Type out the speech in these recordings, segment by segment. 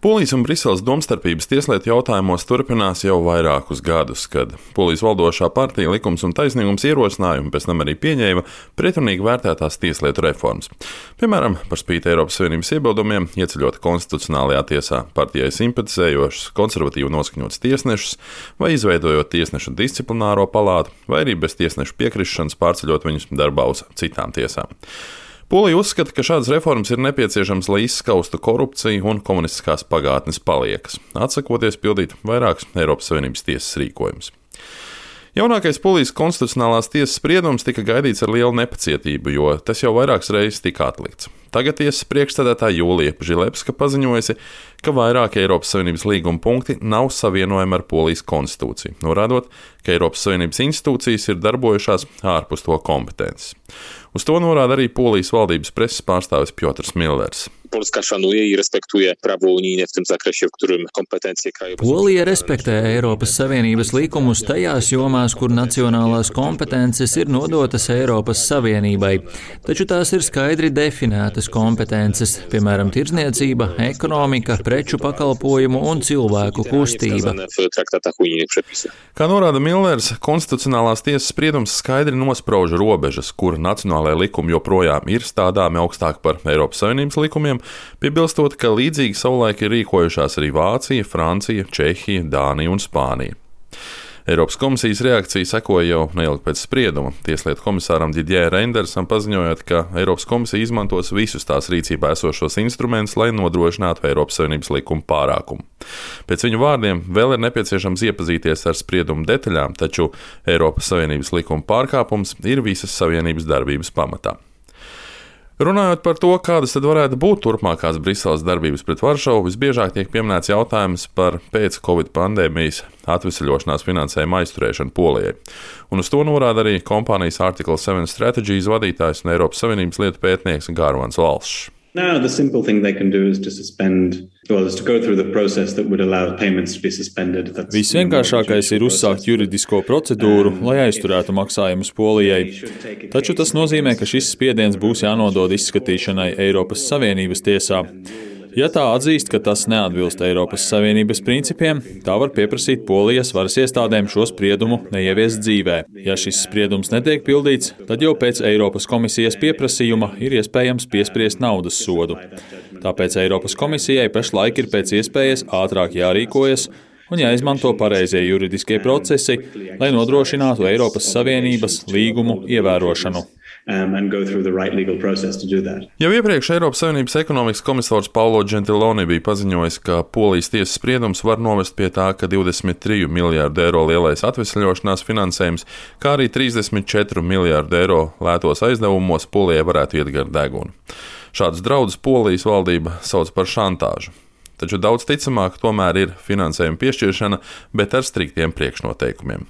Polijas un Briseles domstarpības tieslietu jautājumos turpinās jau vairākus gadus, kad Polijas valdošā partija Likums un taisnīgums ierosināja un pēc tam arī pieņēma pretrunīgi vērtētās tieslietu reformas. Piemēram, par spīti Eiropas Savienības iebildumiem ieceļot konstitucionālajā tiesā partijai simpatizējošus, konservatīvi noskaņotus tiesnešus vai izveidojot tiesnešu disciplināro palātu vai arī bez tiesnešu piekrišanas pārceļot viņus darbā uz citām tiesām. Polija uzskata, ka šādas reformas ir nepieciešamas, lai izskaustu korupciju un komunistiskās pagātnes paliekas, atsakoties pildīt vairākus Eiropas Savienības tiesas rīkojumus. Jaunākais Polijas konstitucionālās tiesas spriedums tika gaidīts ar lielu nepacietību, jo tas jau vairākas reizes tika atlikts. Tagad tiesas priekšsēdētāja Jūlija Žilepska paziņojusi, ka vairāki Eiropas Savienības līguma punkti nav savienojami ar Polijas konstitūciju, norādot, ka Eiropas Savienības institūcijas ir darbojušās ārpus to kompetences. Uz to norāda arī Polijas valdības preses pārstāvis Piotrs Millers. Polska szanuje i respektuje prawo unijne w tym zakresie, w którym kompetencje krajowe. Polija respektē Eiropas Savienības likumus tajās jomās, kur nacionālās kompetences ir nodotas Eiropas Savienībai, taču tās ir skaidri definētas kompetences, piemēram, tirdzniecība, ekonomika, preču pakalpojumu un cilvēku kustība. Kā norāda Millers, konstitucionālās tiesas spriedums skaidri nosprauž robežas, kur nacionālajie likumi joprojām ir stādāmi augstāk par Eiropas Savienības likumiem, piebilstot, ka līdzīgi savulaik ir rīkojušās arī Vācija, Francija, Čehija, Dānija un Spānija. Eiropas komisijas reakcija sekoja jau neilgi pēc sprieduma. Tieslietu komisāram Didier Reindersam paziņojot, ka Eiropas komisija izmantos visus tās rīcībā esošos instrumentus, lai nodrošinātu Eiropas Savienības likuma pārākumu. Pēc viņu vārdiem vēl ir nepieciešams iepazīties ar spriedumu detaļām, taču Eiropas Savienības likuma pārkāpums ir visas Savienības darbības pamatā. Runājot par to, kādas tad varētu būt turpmākās Briseles darbības pret Varšavu, visbiežāk tiek pieminēts jautājums par pēc-Covid pandēmijas atveseļošanās finansējuma aizturēšanu Polijai. Un uz to norāda arī kompānijas Article 7 Strategies vadītājs un Eiropas Savienības lietu pētnieks Gārvans Valšs. Now, the simple thing they can do is to go through the process that would allow payments to be suspended. Visvienkāršākais ir uzsākt juridisko procedūru, lai aizturētu maksājumus Polijai. Taču tas nozīmē, ka šis spiediens būs jānodod izskatīšanai Eiropas Savienības tiesā. Ja tā atzīst, ka tas neatbilst Eiropas Savienības principiem, tā var pieprasīt Polijas varas iestādēm šo spriedumu neieviest dzīvē. Ja šis spriedums netiek pildīts, tad jau pēc Eiropas komisijas pieprasījuma ir iespējams piespriest naudas sodu. Tāpēc Eiropas komisijai pašlaik ir pēc iespējas ātrāk jārīkojas un jāizmanto pareizie juridiskie procesi, lai nodrošinātu Eiropas Savienības līgumu ievērošanu. Jau iepriekš Eiropas Savienības ekonomikas komisārs Paolo Gentiloni bija paziņojis, ka Polijas tiesas spriedums var novest pie tā, ka 23 miljārdu eiro lielais atvesļošanās finansējums, kā arī 34 miljārdu eiro lētos aizdevumos Polijai varētu iet gar degunu. Šādus draudus Polijas valdība sauc par šantāžu. Taču daudz ticamāk tomēr ir finansējuma piešķiršana, bet ar striktiem priekšnoteikumiem.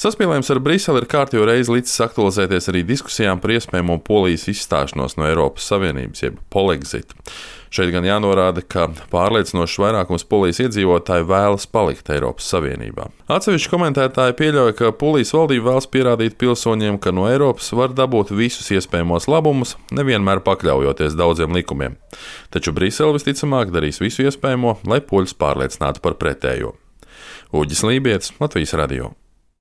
Saspīlējums ar Briseli ir kārtējo reizi licis aktualizēties arī diskusijām par iespējamo Polijas izstāšanos no Eiropas Savienības, jeb Polexit. Šeit gan jānorāda, ka pārliecinošs vairākums Polijas iedzīvotāju vēlas palikt Eiropas Savienībā. Atsevišķi komentētāji pieļauj, ka Polijas valdība vēlas pierādīt pilsoņiem, ka no Eiropas var dabūt visus iespējamos labumus, nevienmēr pakļaujoties daudziem likumiem. Taču Brisele visticamāk darīs visu iespējamo, lai poļus pārliecinātu par pretējo. Uģis Lībietis, Latvijas radio.